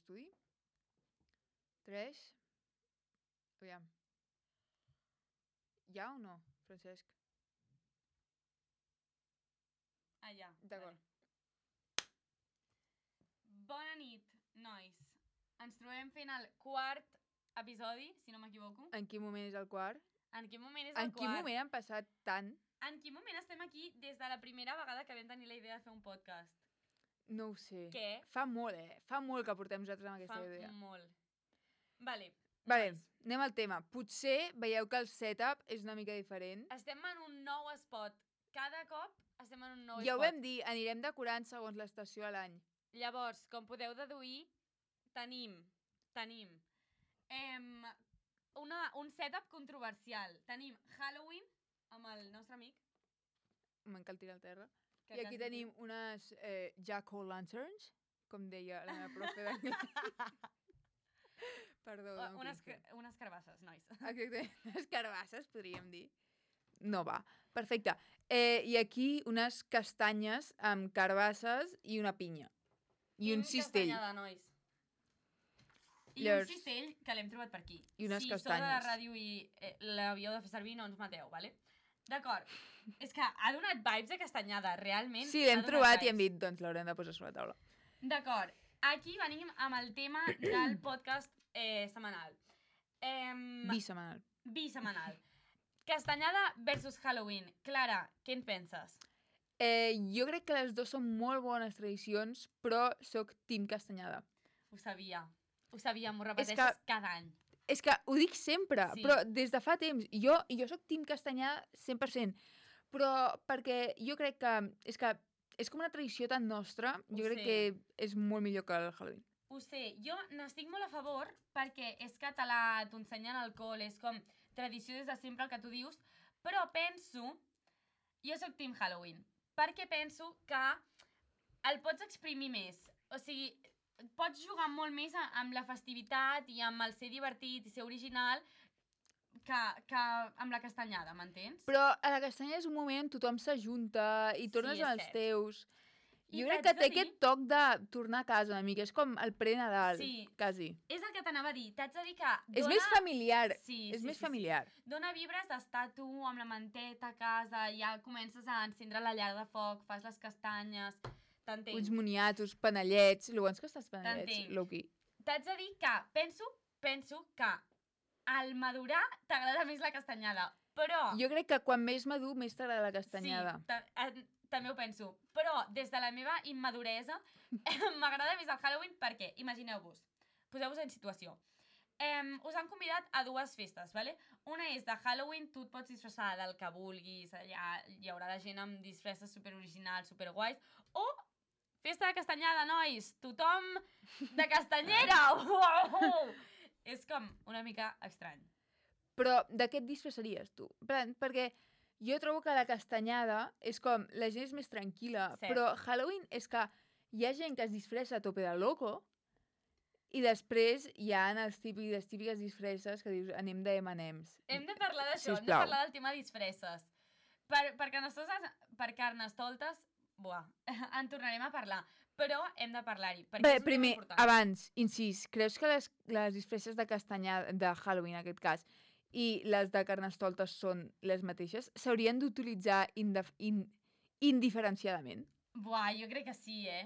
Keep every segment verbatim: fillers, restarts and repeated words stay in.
d'estudi. Tres. Aviam. Hi ha o no, Francesc? Ah, ja. D'acord. Vale. Bona nit, nois. Ens trobem fent el quart episodi, si no m'equivoco. En quin moment és el quart? En quin moment és el en quart? En quin moment han passat tant? En quin moment estem aquí des de la primera vegada que vam tenir la idea de fer un podcast? No ho sé. Què? Fa molt, eh? Fa molt que portem nosaltres amb aquesta Fa idea. Fa molt. Vale. Vale, nois. anem al tema. Potser veieu que el setup és una mica diferent. Estem en un nou spot. Cada cop estem en un nou ja spot. Ja ho vam dir, anirem decorant segons l'estació a l'any. Llavors, com podeu deduir, tenim, tenim em, una, un setup controversial. Tenim Halloween amb el nostre amic. Me'n cal tirar al terra. Que I aquí tenim diu... unes eh, Jack-o'-lanterns, com deia la meva profe d'anglès. Perdó. O, unes, unes carbasses, nois. Exacte, unes carbasses, podríem dir. No va. Perfecte. Eh, I aquí unes castanyes amb carbasses i una pinya. I, I un cistell. Castanyada, nois. I Llavors... un cistell que l'hem trobat per aquí. I unes si castanyes. Si sou de la ràdio i eh, l'havíeu de fer servir, no ens mateu, vale? D'acord. És que ha donat vibes de castanyada, realment. Sí, l'hem trobat vibes. I hem dit, doncs l'haurem de posar sobre la taula. D'acord. Aquí venim amb el tema del podcast eh, setmanal. Eh, Bisemanal. Bisemanal. Castanyada versus Halloween. Clara, què en penses? Eh, jo crec que les dues són molt bones tradicions, però soc team castanyada. Ho sabia. Ho sabia, m'ho repeteixes que, cada any. És que ho dic sempre, sí. Però des de fa temps. Jo, jo soc team castanyada cent per cent, però perquè jo crec que és que és com una tradició tan nostra, jo ho crec sé. Que és molt millor que el Halloween. Ho sé, jo n'estic molt a favor perquè és català, t'ho ensenyen al col, és com tradició des de sempre el que tu dius, però penso, jo soc team Halloween, perquè penso que el pots exprimir més, o sigui, pots jugar molt més amb la festivitat i amb el ser divertit i ser original que, que amb la castanyada, m'entens? Però a la castanyada és un moment on tothom s'ajunta i tornes sí, als teus. I jo crec que té dir... aquest toc de tornar a casa una mica, és com el pre-Nadal, sí. quasi. És el que t'anava a dir, t'haig de dir que dona... És més familiar, sí, és sí, més sí, familiar. Sí. Dona vibres d'estar tu amb la manteta a casa, ja comences a encendre la llar de foc, fas les castanyes, t'entenc. Uns moniatos, panellets, lo bons que estàs panellets, Loki. T'haig de dir que penso, penso que al madurar t'agrada més la castanyada, però... Jo crec que quan més madur, més t'agrada la castanyada. Sí, també ho penso. Però, des de la meva immaduresa, m'agrada més el Halloween perquè, imagineu-vos, poseu-vos en situació. Eh, us han convidat a dues festes, ¿vale? Una és de Halloween, tu et pots disfressar del que vulguis, allà hi haurà la gent amb disfresses superoriginals, superguais, o festa de castanyada, nois! Tothom de castanyera! Uau! És com una mica estrany. Però de què et disfressaries, tu? Perquè... Jo trobo que la castanyada és com, la gent és més tranquil·la, Cert. Però Halloween és que hi ha gent que es disfressa a tope de loco i després hi ha els típics, les típiques disfresses que dius, anem de eme and ems. Hem de parlar d'això, hem de parlar del tema disfresses. Per, per, carnestoltes, per carnestoltes, buah, en tornarem a parlar, però hem de parlar-hi. Bé, primer, abans, incís, creus que les, les disfresses de castanyada, de Halloween en aquest cas, i les de carnestoltes són les mateixes, s'haurien d'utilitzar indif in indiferenciadament? Buah, jo crec que sí, eh?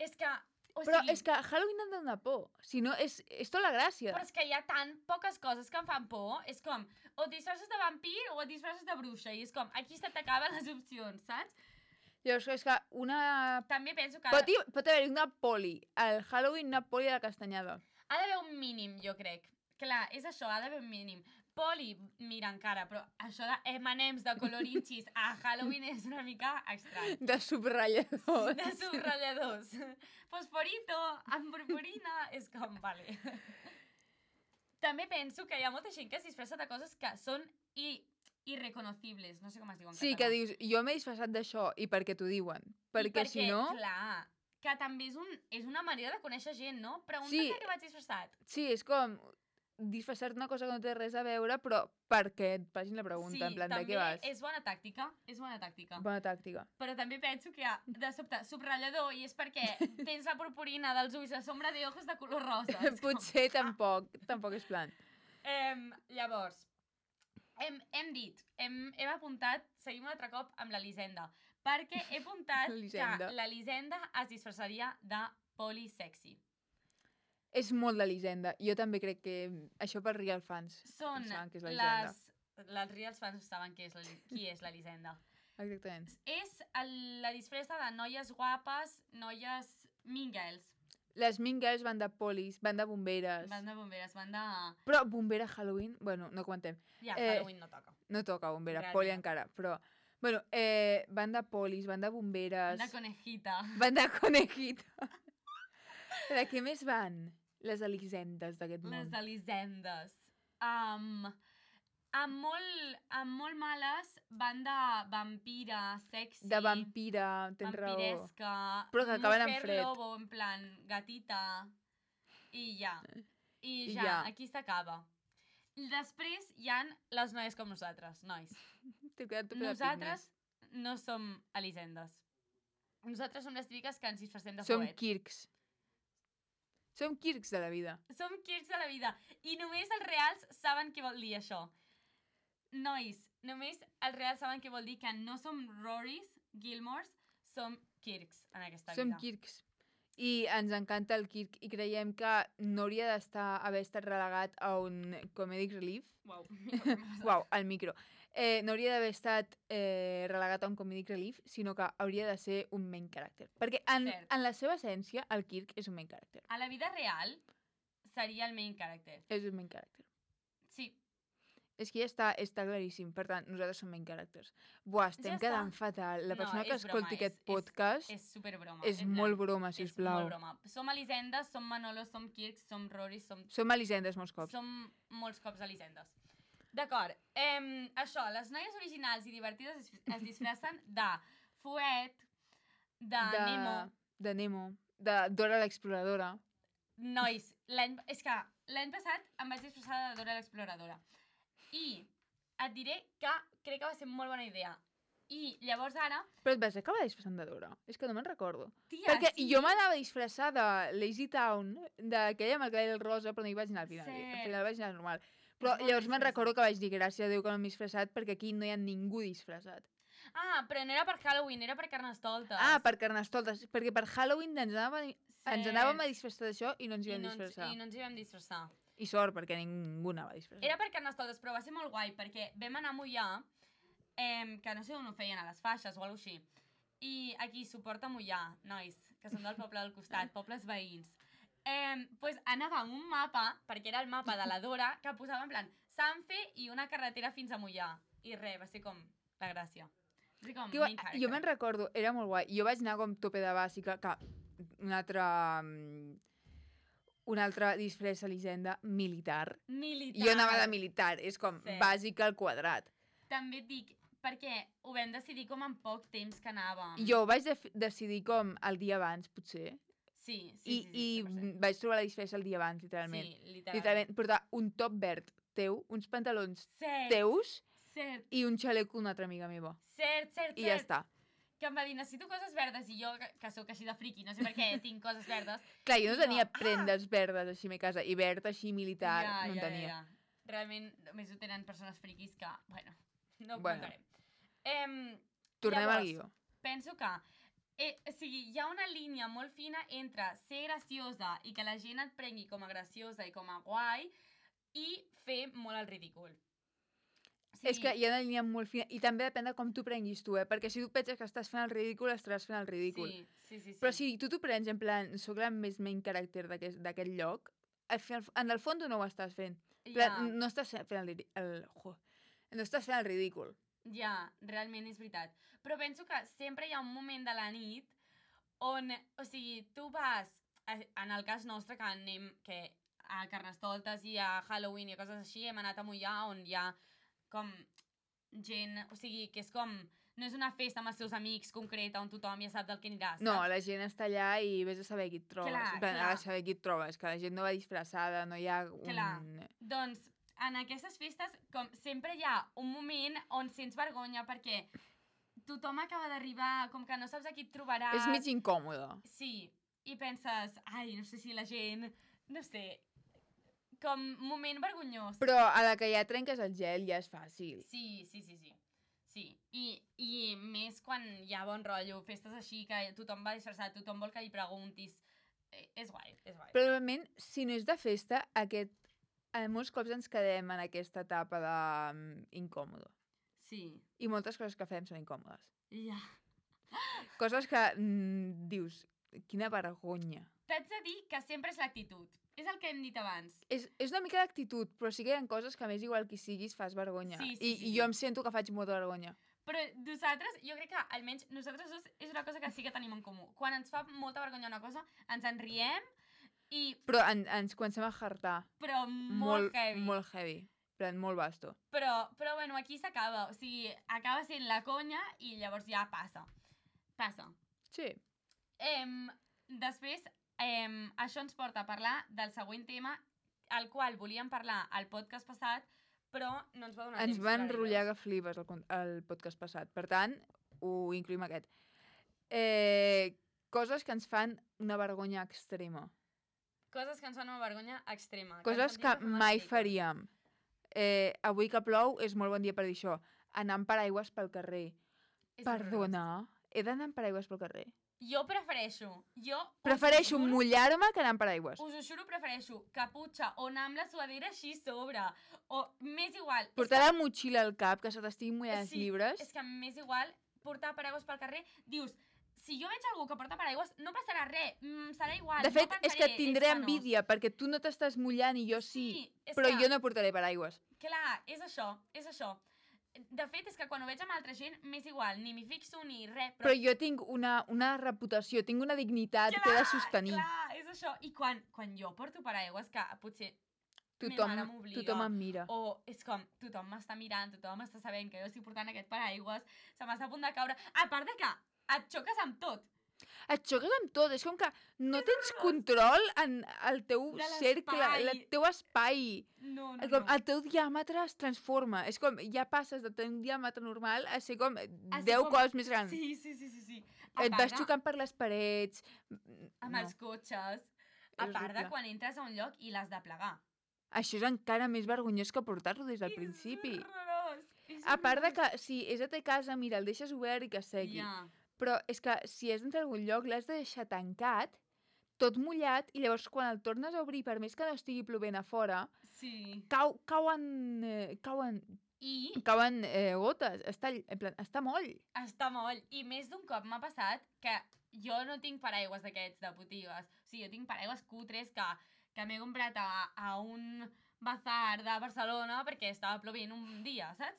És que... O però sigui... és que Halloween ha de donar por. Si no, és, és tota la gràcia. Però és que hi ha tan poques coses que em fan por. És com, o et disfresses de vampir o et disfresses de bruixa. I és com, aquí se t'acaben les opcions, saps? Llavors, és que una... També penso que... Pot, pot haver-hi una poli. Al Halloween, una poli a la castanyada. Ha d'haver un mínim, jo crec. Clar, és això, ha d'haver un mínim. Poli, mira encara, però això de eme and ems de colorinxis a Halloween és una mica estrany. De subratlladors. De subratlladors. Fosforito, amb purpurina, és com, vale. També penso que hi ha molta gent que es disfressa de coses que són i, irreconocibles, no sé com es diu en sí, català. Que dius, jo m'he disfressat d'això, i perquè t'ho diuen. Perquè, perquè si no... clar, que també és, un, és una manera de conèixer gent, no? Pregunta sí, què vaig disfressat. Sí, és com... disfressar-te una cosa que no té res a veure, però perquè et facin la pregunta, sí, en plan, de què vas? Sí, també és bona tàctica, és bona tàctica. Bona tàctica. Però també penso que hi ha, de sobte, subratllador, i és perquè tens la purpurina dels ulls, la sombra de ojos de color rosa. Potser tampoc, tampoc és plan. Um, llavors, hem, hem dit, hem, hem apuntat, seguim un altre cop amb l'Elisenda, perquè he apuntat que l'Elisenda es disfressaria de polisexy. És molt d'Elisenda. Jo també crec que això per real fans són saben que és les... Les reals fans saben qui és, la, qui és l'Elisenda. Exactament. És el, la disfressa de noies guapes, noies mean girls. Les mean girls van de polis, van de bomberes. Van de bomberes, van de... Però bombera Halloween, bueno, no comentem. Ja, eh, Halloween no toca. No toca bombera, realment. Poli encara, però... Bueno, eh, van de polis, van de bomberes... Van de conejita. Van de conejita. De què més van? Les Elisendes d'aquest món. Les Elisendes. Um, amb, molt, amb molt males van de vampira, sexy... De vampira, tens raó. Vampiresca. Però que acaben en fred. Lobo, en plan, gatita. I ja. I, I ja, ja, aquí s'acaba. Després hi han les noies com nosaltres, nois. Nosaltres no som Elisendes. Nosaltres som les típiques que ens disfressem de som fuet. Som Kirks. Som Kirks de la vida. Som Kirks de la vida. I només els reals saben què vol dir això. Nois, només els reals saben què vol dir que no som Rorys, Gilmores, som Kirks en aquesta som vida. Som Kirks. I ens encanta el Kirk i creiem que no hauria d'estar haver estat relegat a un comedic relief. Uau, Uau, al micro. Eh, no hauria d'haver estat eh, relegat a un comedic relief, sinó que hauria de ser un main character. Perquè en, en la seva essència, el Kirk és un main character. A la vida real, seria el main character. És un main character. Sí. És que ja està, està claríssim. Per tant, nosaltres som main characters. Buah, estem ja quedant fatal. La persona no, que escolti broma, aquest és, podcast... És, és superbroma. És, és molt broma, sisplau. És molt broma. Som Elisendes, som Manolo, som Kirk, som Rory, som... Som Elisendes molts cops. Som molts cops Elisendes. D'acord. Eh, això, les noies originals i divertides es, es disfressen de Fuet, de, de Nemo... De Nemo. De Dora l'exploradora. Nois, l'any... És que l'any passat em vaig disfressar de Dora l'exploradora. I et diré que crec que va ser molt bona idea. I llavors ara... Però et vas acabar disfressant de Dora? És que no me'n recordo. Tia, perquè sí. Jo m'anava a disfressar de Lazy Town, d'aquella amb el cabell rosa, però no hi vaig anar al final. Sí. Al final vaig anar normal. Però llavors me'n recordo que vaig dir gràcies a Déu que no m'he disfressat perquè aquí no hi ha ningú disfressat. Ah, però no era per Halloween, era per Carnestoltes. Ah, per Carnestoltes. Perquè per Halloween ens anàvem, sí. ens anàvem a disfressar d'això i no ens hi vam I no ens, disfressar. I no ens hi vam disfressar. I sort, perquè ningú anava a disfressar. Era per Carnestoltes, però va ser molt guai, perquè vam anar a Mollà, eh, que no sé on ho feien, a les faixes o alguna cosa així. I aquí suporta Mollà, nois, que són del poble del costat, pobles veïns. Eh, pues anava amb un mapa, perquè era el mapa de la Dora, que posava en plan Sanfe i una carretera fins a Mollà. I res, va ser com la gràcia. Va ser com main character. Jo me'n recordo, era molt guai. Jo vaig anar com tope de bàsica, que un altre... un altre disfressa Elisenda militar. Militar. Jo anava de militar, és com sí. Bàsica al quadrat. També et dic, perquè ho vam decidir com en poc temps que anàvem. Jo ho vaig de decidir com el dia abans, potser. Sí, sí, I, sí, sí, i vaig trobar la disfressa el dia abans, literalment. Sí, literalment. Literalment, portar un top verd teu, uns pantalons cert, teus cert. I un xaleco d'una altra amiga meva. Cert, cert, I ja cert. està. Que em va dir, necessito coses verdes, i jo, que, que sóc així de friqui, no sé per què tinc coses verdes. Clar, jo no tenia no. prendes ah! verdes així a mi casa, i verd així militar ja, no en ja, tenia. Ja, ja. Realment, només ho tenen persones friquis que, bueno, no ho bueno. contarem. Em, Tornem llavors, al guió. Penso que eh, o sigui, hi ha una línia molt fina entre ser graciosa i que la gent et prengui com a graciosa i com a guai i fer molt el ridícul. Sí. És que hi ha una línia molt fina i també depèn de com tu prenguis tu, eh? Perquè si tu penses que estàs fent el ridícul, estaràs fent el ridícul. Sí, sí, sí. sí. Però si tu t'ho prens en plan, soc la més main character d'aquest lloc, en el fons no ho estàs fent. Ja. No estàs fent el, el, el, no estàs fent el ridícul. Ja, realment és veritat. Però penso que sempre hi ha un moment de la nit on, o sigui, tu vas, en el cas nostre, que anem que a Carnestoltes i a Halloween i coses així, hem anat a Mollà on hi ha com gent, o sigui, que és com no és una festa amb els seus amics concreta on tothom ja sap del que anirà, saps? No, la gent està allà i vés a saber qui et trobes. Clar, En plan, clar. a saber qui et trobes, que la gent no va disfressada, no hi ha un... Clar. Doncs en aquestes festes com sempre hi ha un moment on sents vergonya perquè tothom acaba d'arribar, com que no saps a qui et trobaràs. És mig incòmode. Sí, i penses, ai, no sé si la gent, no sé, com moment vergonyós. Però a la que ja trenques el gel ja és fàcil. Sí, sí, sí, sí. Sí, I, i més quan hi ha bon rotllo, festes així, que tothom va disfressat, tothom vol que li preguntis. Eh, és guai, és guai. Però realment, si no és de festa, aquest... eh, molts cops ens quedem en aquesta etapa d'incòmode. Sí. I moltes coses que fem són incòmodes. Ja. Coses que mm, dius, quina vergonya. T'haig de dir que sempre és l'actitud. És el que hem dit abans. És, és una mica d'actitud, però sí que hi ha coses que més igual qui siguis fas vergonya. Sí, sí, I, sí, I sí. jo em sento que faig molta vergonya. Però nosaltres, jo crec que almenys nosaltres dos és una cosa que sí que tenim en comú. Quan ens fa molta vergonya una cosa, ens en riem i... Però en, ens comencem a hartar. Però molt, Molt heavy. Molt heavy. Però molt vasto. Però, però bueno, aquí s'acaba. O sigui, acaba sent la conya i llavors ja passa. Passa. Sí. Em, després, em, això ens porta a parlar del següent tema, el qual volíem parlar al podcast passat, però no ens va donar Ens temps. va per enrotllar arribar. que flipes el, con- el podcast passat. Per tant, ho incluïm aquest. Eh, coses que ens fan una vergonya extrema. Coses que ens fan una vergonya extrema. Coses ens que sentim mai riques. faríem. Eh, avui que plou és molt bon dia per dir això. Anar amb paraigües pel carrer. És Perdona, he d'anar amb paraigües pel carrer? horrorós. Jo prefereixo. Jo us Prefereixo ho juro- mullar-me que anar amb paraigües. Us ho juro, prefereixo caputxa o anar amb la suadera així a sobre. O més igual. és Portar la motxilla al cap, que se t'estiguin mullant els Sí, llibres. És que més igual portar paraigües pel carrer, dius, si jo veig algú que porta paraigües, no passarà res, mm, serà igual. De fet, no és que pensaré, tindré ets penós. envídia, perquè tu no t'estàs mullant i jo sí. Sí, és Però que, jo no portaré paraigües. Clar, és això, és això. De fet, és que quan ho veig amb altra gent, m'és igual, ni m'hi fixo ni res. Però jo tinc una, una reputació, tinc una dignitat que he de sostenir. Clar, és això. I quan, quan jo porto paraigües, que potser Tothom, ma mare m'obliga, tothom em mira. o és com, tothom m'està mirant, tothom està sabent que jo estic portant aquest paraigües, se m'està a punt de caure. A part de que et xoques amb tot. Et xoques amb tot, és com que no tens control en el teu De cercle, l'espai. el teu espai. No, no, Com, no. el teu diàmetre es transforma. És com, ja passes de tenir un diàmetre normal a ser com A ser deu com- cops més gran. Sí, sí, sí, sí. sí. A Et part vas de- xocant per les parets. Amb No. els cotxes. A És part de horrible. quan entres a un lloc i l'has de plegar. Això és encara més vergonyós que portar-lo des del principi. És horrorós. És A part de horrorós. que, si és a ta casa, mira, el deixes obert i que segui. Ja. Però és que si és dintre algun lloc, l'has de deixar tancat, tot mullat, i llavors quan el tornes a obrir, per més que no estigui plovent a fora, Sí. cau, cauen, eh, cauen, I cauen eh, gotes. Està, en plan, està moll. està molt. I més d'un cop m'ha passat que jo no tinc paraigües d'aquests de botigues. O sigui, jo tinc paraigües cutres que, que m'he comprat a, a un bazar de Barcelona perquè estava plovent un dia, saps?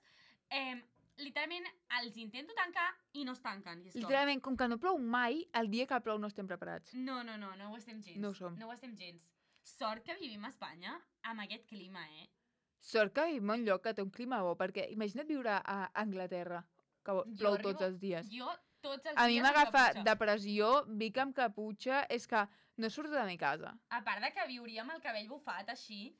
Eh, literalment els intento tancar i no es tanquen. I és com, Literalment, com que no plou mai, el dia que plou no estem preparats. no, no, no, no ho estem gens. No ho som. No ho estem gens. Sort que vivim a Espanya amb aquest clima, eh? Sort que vivim en un lloc que té un clima bo, perquè imagina't viure a Anglaterra, que Jo plou arribo- tots els dies. Jo tots els A mi dies m'agafa amb caputxa. depressió, vic amb caputxa, és que no surto de mi casa. A part de que viuria amb el cabell bufat així,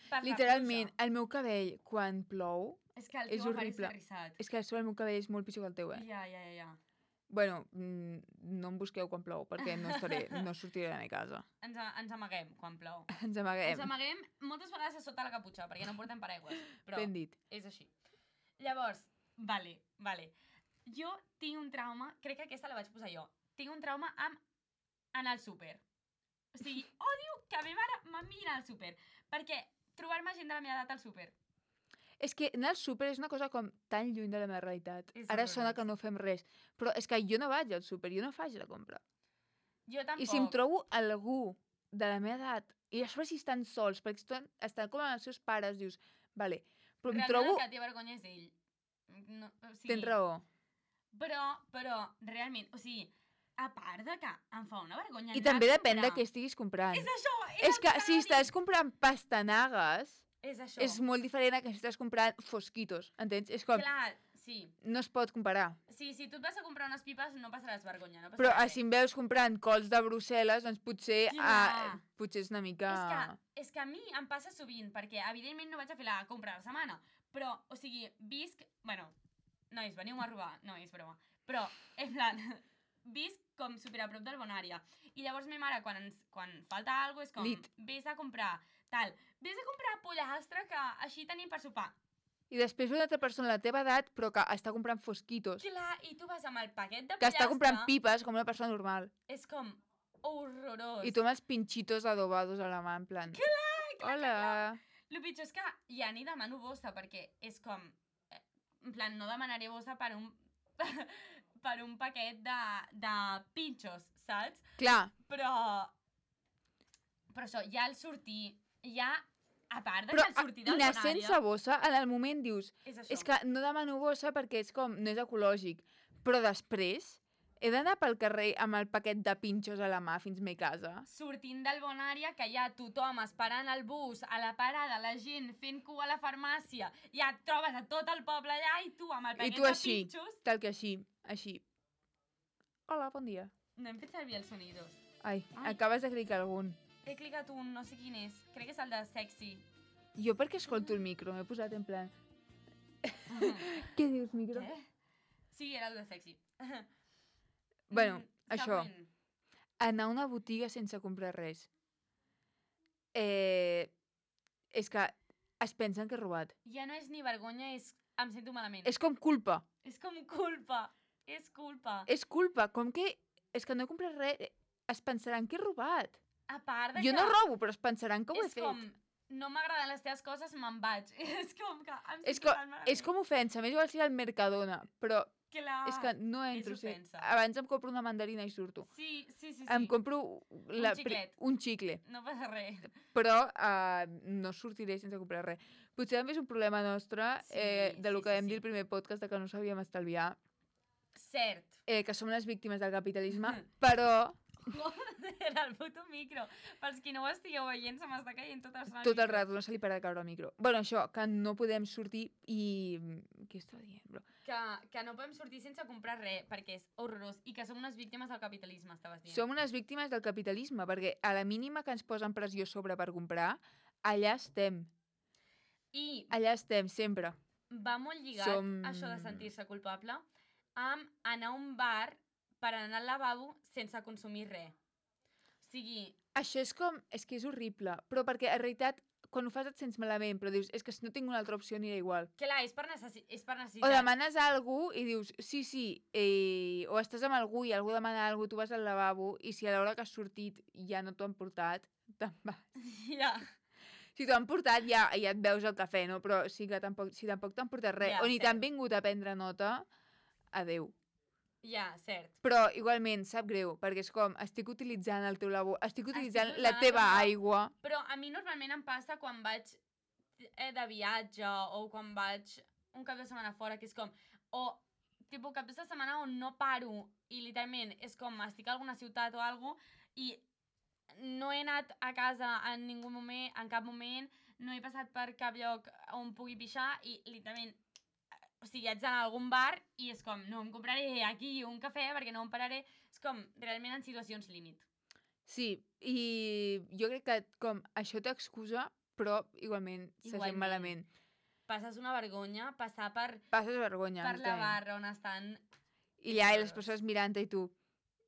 per la Literalment, pluja. el meu cabell, quan plou, És que el és teu apareix horrible. terrissat. és que sobre el meu cabell és molt pitjor que el teu, eh? Ja, ja, ja, ja. Bueno, mm, no em busqueu quan plou, perquè no, estaré, no sortiré de la meva casa. Ens, a- ens amaguem quan plou. Ens amaguem. Ens amaguem moltes vegades a sota la caputxa, perquè no portem paraigües. Però Ben dit. és així. Llavors, vale, vale. Jo tinc un trauma, crec que aquesta la vaig posar jo, tinc un trauma amb anar al súper. O sigui, odio que a mi mare me mira al súper, perquè trobar-me gent de la meva edat al súper. És que anar al súper és una cosa com tan lluny de la meva realitat. És Ara horrorós. sona que no fem res, però és que jo no vaig al súper, jo no faig la compra. Jo tampoc. I si em trobo algú de la meva edat, i a sobre si estan sols, perquè estan, estan com amb els seus pares, dius, vale, però em Realment trobo... el que té vergonya és ell. No, o sigui, Tens raó. Però, però, realment, o sigui, a part de que em fa una vergonya I anar també a depèn de comprar. què estiguis comprant. És això, és, És el que que si anava a dir. estàs comprant pastanagues, És això. és molt diferent a que si estàs comprant fosquitos, entens? És com, Clar, Sí. No es pot comparar. Sí, si tu et vas a comprar unes pipes no passaràs vergonya, no passarà Però res. si em veus comprant cols de Brussel·les, doncs potser, Clar. uh, potser és una mica... És que, és que a mi em passa sovint, perquè evidentment no vaig a fer la compra de la setmana, però, o sigui, visc... Bueno, nois, veniu a robar. No, és broma. Però, en plan, visc com super a prop del Bonària. I llavors ma mare, quan, ens, quan falta alguna cosa, és com, Lit. vés a comprar tal. Vés a comprar pollastre que així tenim per sopar. I després una altra persona de la teva edat, però que està comprant fosquitos. Clar, i tu vas amb el paquet de Que pollastre... està comprant pipes com una persona normal. És com horrorós. I tu amb els pinchitos adobados a la mà, en plan... Clar, clar, Hola. clar. El pitjor és que ja ni demano bossa, perquè és com... eh, En plan, no demanaré bossa per un... per un paquet de, de pinxos, saps? Clar. Però... Però això, ja el sortir... Ja, a part de Però que el sortir del anar Bonària... sense bossa, en el moment dius... És això. És que no demano bossa perquè és com... No és ecològic. Però després he d'anar pel carrer amb el paquet de pinxos a la mà fins a mi casa. Sortint del Bonària, que hi ha tothom esperant el bus, a la parada, la gent fent cua a la farmàcia, ja et trobes a tot el poble allà i tu amb el I paquet tu de així, pinxos... tal que així, així. Hola, bon dia. No hem fet servir els sonidos. Ai, Ai. acabes de clicar algun. He clicat un, no sé quin és. Crec que és el de sexy. Jo perquè escolto el micro, m'he posat en plan... Què dius, micro? Què? Sí, era el de sexy. Bueno, Mm, això. següent. Anar a una botiga sense comprar res. Eh, és que es pensen que he robat. Ja no és ni vergonya, és... Em sento malament. És com culpa. És com culpa. És culpa. És culpa. Com que... És que no he comprat res. Es pensaran que he robat. A part de Jo que... no robo, però es pensaran que ho he és fet. com... No m'agraden les teves coses, me'n vaig. És com que em És, sento co tan malament. és com ofensa. M'és igual si al Mercadona, però Clar. és que no entro. és sí. ofensa. Abans em compro una mandarina i surto. Sí, sí, sí. sí. Em compro la, pri- xiclet. un xicle, No passa res. però uh, no sortiré sense comprar res. Potser també és un problema nostre, Sí, eh, de lo sí, que sí, vam sí. dir el primer podcast, de que no sabíem estalviar, Cert. eh, que som les víctimes del capitalisme, però Joder, el puto micro. Pels qui no ho estigueu veient, se m'està caient tot el son. al tot el micro. rato no se li para de caure el micro. Bueno, això, que no podem sortir i... Què estava dient, bro? Que, que no podem sortir sense comprar res, perquè és horrorós. I que som unes víctimes del capitalisme, estaves dient. Som unes víctimes del capitalisme, perquè a la mínima que ens posen pressió sobre per comprar, allà estem. I Allà estem, sempre. va molt lligat, Som- això de sentir-se culpable, amb anar a un bar per anar al lavabo sense consumir res. O sigui, Això és com... És que és horrible, però perquè en realitat quan ho fas et sents malament, però dius, és que si no tinc una altra opció anirà igual. clar, és per, necessi és per O necessitat. demanes a algú i dius, sí, sí, eh, o estàs amb algú i algú demana alguna cosa, tu vas al lavabo i si a l'hora que has sortit ja no t'ho han portat, te'n vas. Ja. Si t'ho han portat ja, ja et veus el cafè, no? Però sí que tampoc, si tampoc t'han portat res, Ja, o ni cert. t'han vingut a prendre nota, adeu. Ja, cert. Però igualment sap greu, perquè és com, estic utilitzant el teu lavabo, estic utilitzant Estic la usant teva el teu- aigua. Però a mi normalment em passa quan vaig eh, de viatge o quan vaig un cap de setmana fora, que és com... O tipus cap de setmana on no paro i literalment és com estic a alguna ciutat o alguna i no he anat a casa en ningú moment, en cap moment, no he passat per cap lloc on pugui pixar i literalment o sigui, haig d'anar a algun bar i és com, no em compraré aquí un cafè perquè no em pararé. És com, realment en situacions límit. Sí, i jo crec que com això t'excusa, però igualment se sent Igualment. malament. Passes una vergonya passar per, Passes vergonya. per la exactament. barra on estan... I allà i les persones mirant-te i tu,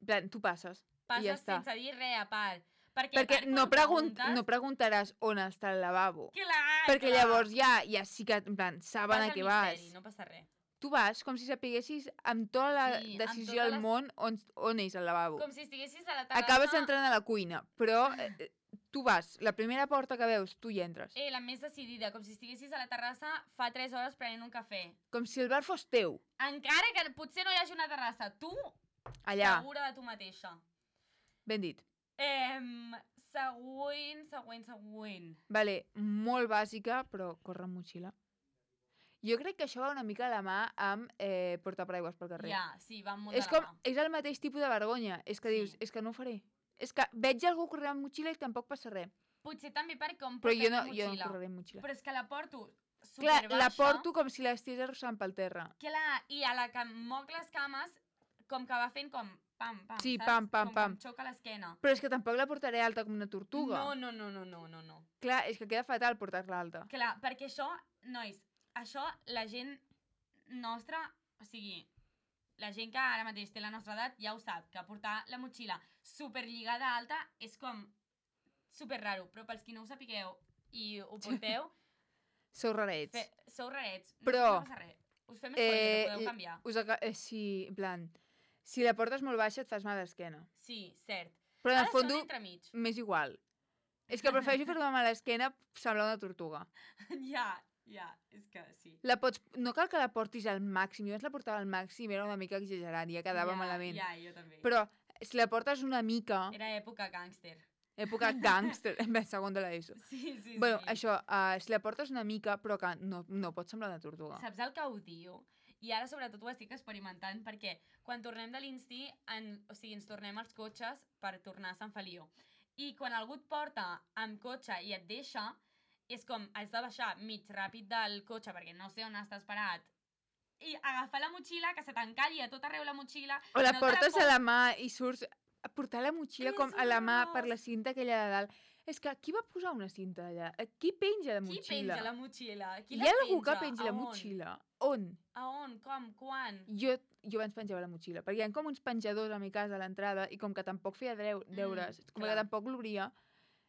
en plan, tu passes. Passes I ja està. sense dir res a part. Perquè, Perquè a part, no, quan pregun preguntes, no preguntaràs on està el lavabo. Clar, Perquè clar. llavors ja, ja sí que, en plan, saben Vas a al què misteri, vas. No passa res. Tu vas com si sapiguessis amb tota la Sí, amb decisió totes del les- món on, on és el lavabo. Com si estiguessis a la terrassa... Acabes entrant a la cuina, però eh, tu vas, la primera porta que veus, tu hi entres. Eh, la més decidida, com si estiguessis a la terrassa fa tres hores prenent un cafè. Com si el bar fos teu, Encara que potser no hi hagi una terrassa, tu, allà. segura de tu mateixa. Ben dit. Eh, següent, següent, següent. Vale, molt bàsica, però corre amb motxilla. Jo crec que això va una mica a la mà amb eh, portar paraigües pel carrer. Ja, sí, va molt És de com, la mà. és el mateix tipus de vergonya. És que Sí. dius, és que no ho faré. És que veig algú corrent amb motxilla i tampoc passa res. Potser també per com Però portem jo no, la jo no motxilla. correré amb motxilla. Però és que la porto superbaixa. Clar, la porto com si l'estigués arrossant pel terra. Clar, i a la que em moc les cames, com que va fent com pam, pam, Sí, saps? pam, pam, com pam. que em xoca l'esquena. Però és que tampoc la portaré alta com una tortuga. No, no, no, no, no, no, no. Clar, és que queda fatal portar-la alta. Clar, perquè això, nois, això la gent nostra, o sigui, la gent que ara mateix té la nostra edat ja ho sap, que portar la motxilla superlligada alta és com super raro, però pels qui no ho sapigueu i ho porteu... Sou rarets. Fe, sou rarets, no, però, no passa res. Us fem spoiler, eh, que podeu canviar. Us eh, sí, en plan, si la portes molt baixa et fas mal d'esquena. Sí, cert. Però en el fons, fons, m'és igual. És que prefereixo fer-me mal a l'esquena semblar una tortuga. Ja, ja, és que sí. La pots... No cal que la portis al màxim. Jo abans la portava al màxim, era una mica exagerat, ja quedava ja, malament. Ja, jo també. Però si la portes una mica... Era època gàngster. Època gàngster, segon de l'ESO. Sí, sí, bueno, sí. això, uh, si la portes una mica, però que no, no pot semblar una tortuga. Saps el que odio? I ara sobretot ho estic experimentant perquè quan tornem de l'Insti, en, o sigui, ens tornem als cotxes per tornar a Sant Feliu. I quan algú et porta amb cotxe i et deixa, és com, has de baixar mig ràpid del cotxe perquè no sé on estàs parat, i agafar la motxilla, que se t'encalli a tot arreu la motxilla... O la no portes la a la mà i surts... A portar la motxilla És com a la mà horrorós. per la cinta aquella de dalt. És que qui va posar una cinta allà? Qui penja la Qui motxilla? penja la motxilla? Qui Hi la ha algú que penja? penja A la on? motxilla? On? A on? Com? Quan? Jo, jo abans penjava la motxilla, perquè hi ha com uns penjadors a mi casa a l'entrada i com que tampoc feia dreu, deures, mm, com clar. que tampoc l'obria,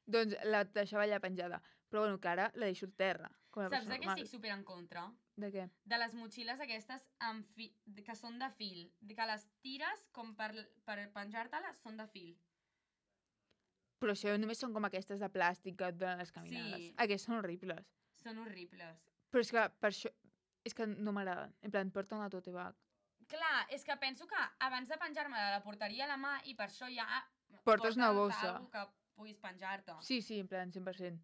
doncs la deixava allà penjada. Però bueno, que ara la deixo a terra. Com a Saps persona de què normal. estic super en contra? De què? De les motxilles aquestes amb fi... que són de fil. De que les tires com per, per penjar-te-les són de fil. Però això només són com aquestes de plàstic que et donen les caminades. Sí. Aquestes són horribles. Són horribles. Però és que per això... És que no m'agraden. En plan, porta una tote bag. Clar, és que penso que abans de penjar-me-la la portaria a la mà i per això ja... Portes una bossa. Algú que puguis penjar-te. Sí, sí, en plan, cent per cent.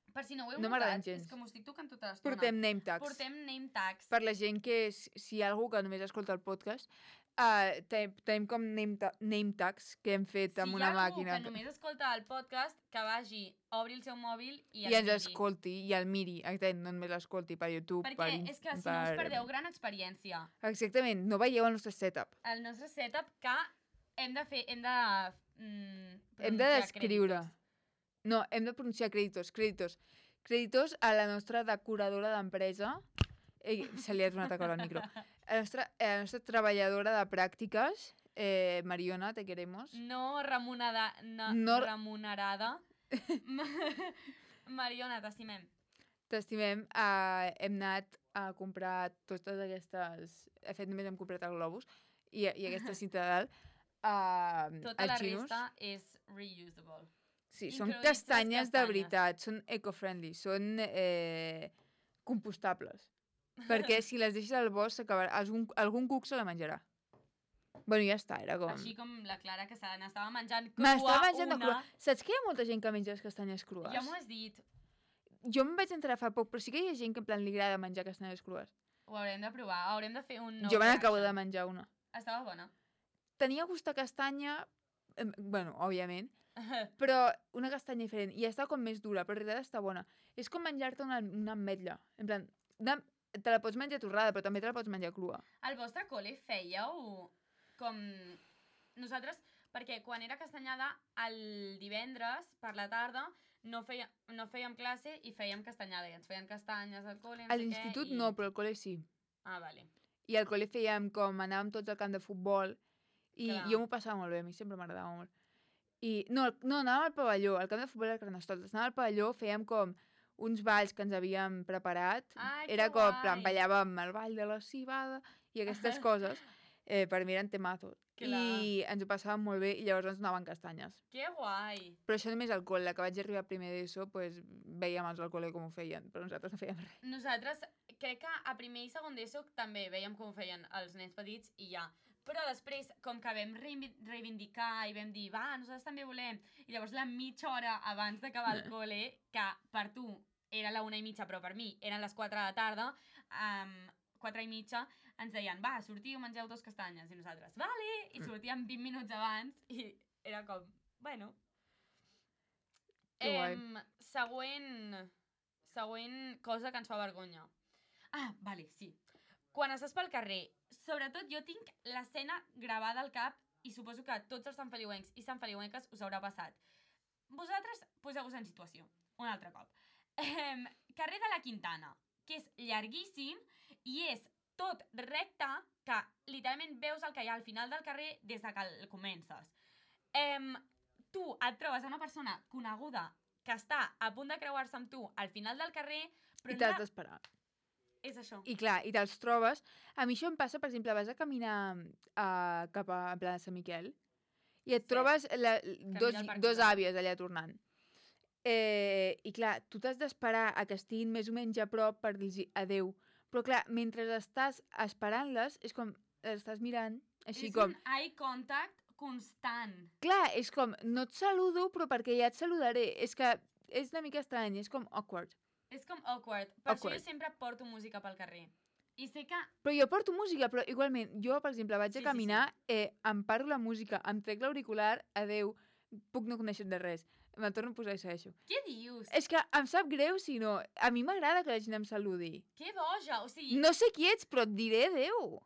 Per si no ho heu No notat, m'agraden gens. és que m'ho estic tocant tota l'estona. Portem name tags. Portem name tags. Per la gent que, és, si hi ha algú que només escolta el podcast, uh, tenim, tenim com name, ta name tags que hem fet amb una màquina. Si hi ha algú que només escolta el podcast, que vagi, obri el seu mòbil i, I ens miri. escolti, i el miri. Exactament, no només l'escolti per YouTube. Perquè per, és que si per... no us perdeu gran experiència. Exactament, no veieu el nostre setup. El nostre setup que hem de fer, hem de... Mm, Hem de descriure. No, hem de pronunciar crèditos, crèditos. Crèditos a la nostra decoradora d'empresa. Ei, se li ha donat a caure el micro. A la nostra, a la nostra treballadora de pràctiques, eh, Mariona, te queremos. No remunerada. No, No- remunerada. Mariona, t'estimem. T'estimem. Uh, hem anat a comprar totes aquestes... De fet, només hem comprat el globus i, i aquesta cinta de dalt. Uh, Tota la resta és reusable. Sí, són incloïts les castanyes de castanyes. veritat, són eco-friendly, són eh, compostables. Perquè si les deixes al bosc, s'acabarà- algun, algun cuc se la menjarà. Bueno, ja està, era com... Així com la Clara, que se n'estava menjant crua M'estava menjant de una... crua. Saps que hi ha molta gent que menja les castanyes crues? Ja m'ho has dit. Jo em vaig enterar fa poc, però sí que hi ha gent que en plan li agrada menjar castanyes crues. Ho haurem de provar, haurem de fer un nou jo me n'acabo reaction. de menjar una. Estava bona. Tenia gust a castanya, eh, bueno, òbviament, però una castanya diferent. I estava com més dura, però en realitat està bona. És com menjar-te una, una ametlla. En plan, una, te la pots menjar torrada, però també te la pots menjar crua. Al vostre col·le fèieu com... Nosaltres, perquè quan era castanyada, el divendres, per la tarda, no, feia, no fèiem classe i fèiem castanyada. I ens feien castanyes al col·le, no A sé què, l'institut i... no, però al col·le sí. Ah, vale. I al col·le fèiem com anàvem tots al camp de futbol i Clar. jo m'ho passava molt bé, a mi sempre m'agradava molt. I no, no, anàvem al pavelló, al camp de futbol de Carnestoltes. Anàvem al pavelló, fèiem com uns balls que ens havíem preparat. Ai, Era que com, guai. plan, ballàvem el ball de la cibada i aquestes coses. Eh, per mi eren temazos. Clar. I ens ho passàvem molt bé i llavors ens donaven castanyes. Que guai. Però això només al col·le, que vaig arribar primer d'ESO, pues, veiem els al col·le com ho feien, però nosaltres no fèiem res. Nosaltres, crec que a primer i segon d'ESO també veiem com ho feien els nens petits i ja. Però després, com que vam reivi- reivindicar i vam dir, va, nosaltres també volem, i llavors la mitja hora abans d'acabar el col·le, que per tu era la una i mitja, però per mi eren les quatre de la tarda, um, quatre i mitja, ens deien, va, sortiu, mengeu dos castanyes, i nosaltres, vale, i sortíem vint minuts abans, i era com, bueno. Que guai. Em, següent, següent cosa que ens fa vergonya. Ah, vale, sí. Quan estàs pel carrer, sobretot jo tinc l'escena gravada al cap i suposo que tots els sanfeliuencs i sanfeliuenques us haurà passat. Vosaltres poseu-vos en situació, un altre cop. Eh, carrer de la Quintana, que és llarguíssim i és tot recte, que literalment veus el que hi ha al final del carrer des de que el comences. Eh, tu et trobes una persona coneguda que està a punt de creuar-se amb tu al final del carrer, però I t'has no... d'esperar. És això. I clar, i te'ls trobes... A mi això em passa, per exemple, vas a caminar uh, cap a en plan de Sant Miquel i et Sí. trobes la, dos, al Parc dos Rodó. àvies allà tornant. Eh, I clar, tu t'has d'esperar a que estiguin més o menys a prop per dir-los adeu. Però clar, mentre estàs esperant-les, és com... Les estàs mirant, així és com... un eye contact constant. Clar, és com, no et saludo, però perquè ja et saludaré. És que és una mica estrany, és com awkward. És com awkward. Per Awkward. això jo sempre porto música pel carrer. I sé que... Però jo porto música, però igualment, jo, per exemple, vaig Sí, a sí, caminar, eh, em paro la música, em trec l'auricular, adeu, puc no conèixer de res. Me'n torno a posar i segueixo. Què dius? És que em sap greu si no... A mi m'agrada que la gent em saludi. Que boja! O sigui, No sé qui ets, però et diré adeu.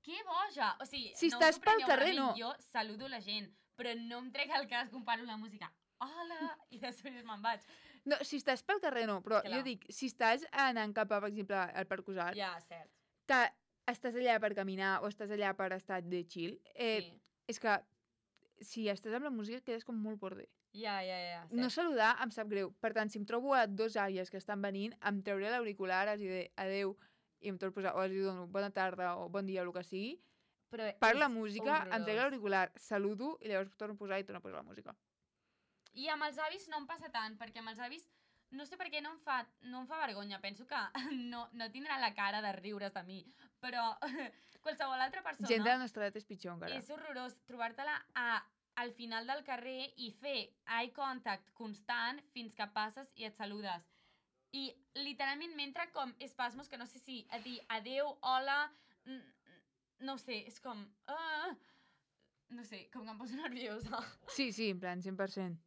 que boja! O sigui, Si no estàs us ho pel prengueu carrer, malament, no. Jo saludo la gent, però no em trec el cas, comparo la música. Hola! I després me'n vaig. No, si estàs pel carrer, no, però Clar. jo dic, si estàs anant cap a, per exemple, al Parc Usar, Ja, cert. que estàs allà per caminar o estàs allà per estar de chill, eh, Sí. és que si estàs amb la música quedes com molt border. Ja, ja, ja, cert. No saludar em sap greu. Per tant, si em trobo a dos àvies que estan venint, em trauré l'auricular, els diré adeu i em torno a posar, o els dono bona tarda o bon dia, o el que sigui. Però Per la és música, em trec horrorós. l'auricular, saludo i llavors torno a posar i torno a posar la música. I amb els avis no em passa tant, perquè amb els avis no sé per què no em fa, no em fa vergonya. Penso que no, no tindrà la cara de riure's de mi, però qualsevol altra persona... Gent de la nostra edat és pitjor encara. És horrorós trobar-te-la a, al final del carrer i fer eye contact constant fins que passes i et saludes. I literalment m'entra com espasmos que no sé si a dir adeu, hola... No sé, és com... Uh, no sé, com que em poso nerviosa. Sí, sí, en plan, cent per cent.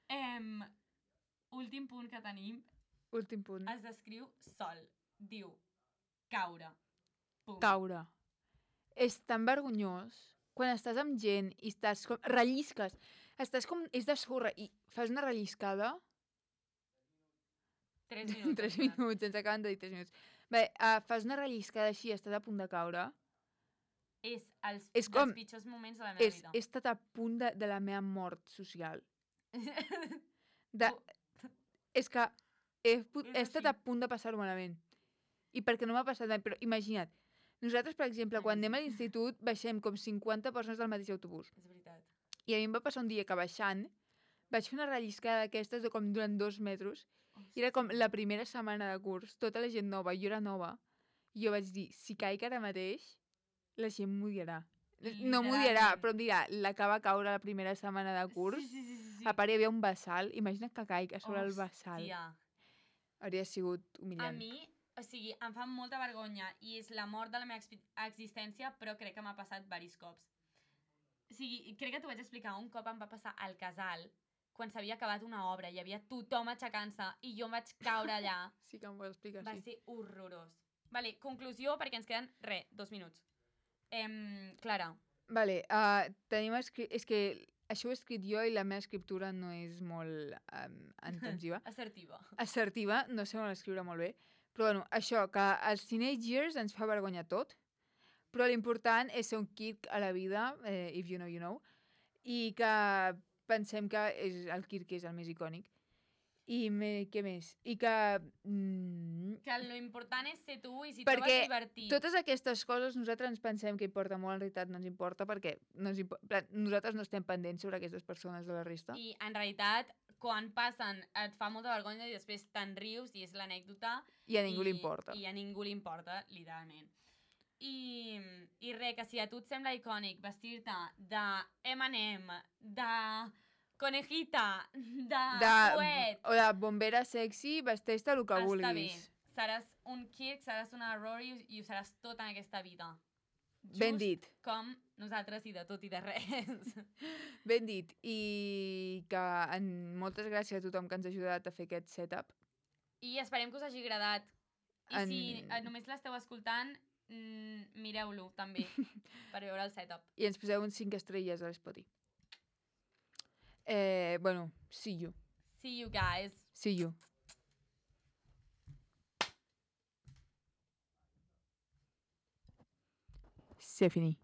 Um, últim punt que tenim Últim punt. es descriu sol. Diu caure. Pum. Caure. És tan vergonyós quan estàs amb gent i estàs com... rellisques. Estàs com... És de sorra i fas una relliscada... Tres minuts. Tres minuts, ens acaben de dir tres minuts. Bé, uh, fas una relliscada així i estàs a punt de caure. És els És dels com- pitjors moments de la meva És, vida. he estat a punt de, de la meva mort social. De, és que he, pu- És he estat així. a punt de passar-ho malament. I perquè no m'ha passat mai, però imagina't, nosaltres, per exemple, quan anem a l'institut, baixem com cinquanta persones del mateix autobús. És veritat. I a mi em va passar un dia que baixant vaig fer una relliscada d'aquestes de com durant dos metres. I era com la primera setmana de curs, tota la gent nova, jo era nova. I jo vaig dir, si caic ara mateix, la gent m'odiarà. No m'odiarà, Literalment. però em dirà, la que va caure la primera setmana de curs, Sí, sí, sí, sí, sí. a part hi havia un bassal, imagina't que caic a sobre el bassal. Hòstia. Hauria sigut A humillant. mi, o sigui, em fa molta vergonya i és la mort de la meva expi- existència, però crec que m'ha passat diversos cops. O sigui, crec que t'ho vaig explicar, un cop em va passar al casal, quan s'havia acabat una obra, hi havia tothom aixecant-se i jo em vaig caure allà. Sí que em ho explicar, Va sí. ser horrorós. Vale, conclusió, perquè ens queden, re, dos minuts. Em, Clara, Vale, uh, tenim escrit... És que això ho he escrit jo i la meva escriptura no és molt um, intensiva. assertiva. Assertiva, no sé on escriure molt bé. Però bueno, això, que als teenage years ens fa vergonya tot, però l'important és ser un Kirk a la vida, eh, if you know, you know, i que pensem que és el Kirk és el més icònic. I me, què més? I que... Mm, Que lo important és ser tu i si Perquè trobes divertit. totes aquestes coses nosaltres ens pensem que importa molt, en realitat no ens importa perquè no ens impo nosaltres no estem pendents sobre aquestes persones de la resta. I en realitat, quan passen, et fa molta vergonya i després te'n rius i és l'anècdota. I a ningú li importa. I a ningú li importa, literalment. I, i res, que si a tu et sembla icònic vestir-te de eme and eme, de conejita, de, de, fuet, o de bombera sexy, vesteix-te el que està bé. vulguis. Seràs un Kirk, seràs una Rory i ho seràs tot en aquesta vida. Just Ben dit, com nosaltres i de tot i de res. ben dit. I que en, moltes gràcies a tothom que ens ha ajudat a fer aquest setup. I esperem que us hagi agradat. I En- si eh, només l'esteu escoltant, mm, mireu-lo també, per veure el setup. I ens poseu uns cinc estrelles a l'Spotify. Eh, bueno, see you. See you guys. See you. C'est fini.